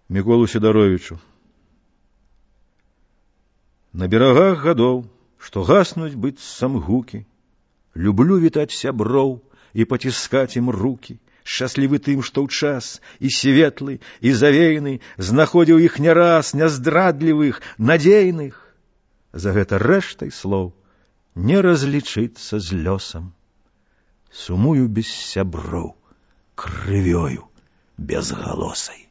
Міколу Сідаровічу. На берагах гадоў, што гаснуць быццам гукі, люблю вітаць сяброў і паціскаць ім рукі, шчаслівы тым, што ў час і светлы, і завейны знаходзіў іх не раз няздрадлівых, надзейных. За гэта рэштай слоў не разлічыцца з лёсам. Сумую без сяброў, крывёю безгалосай.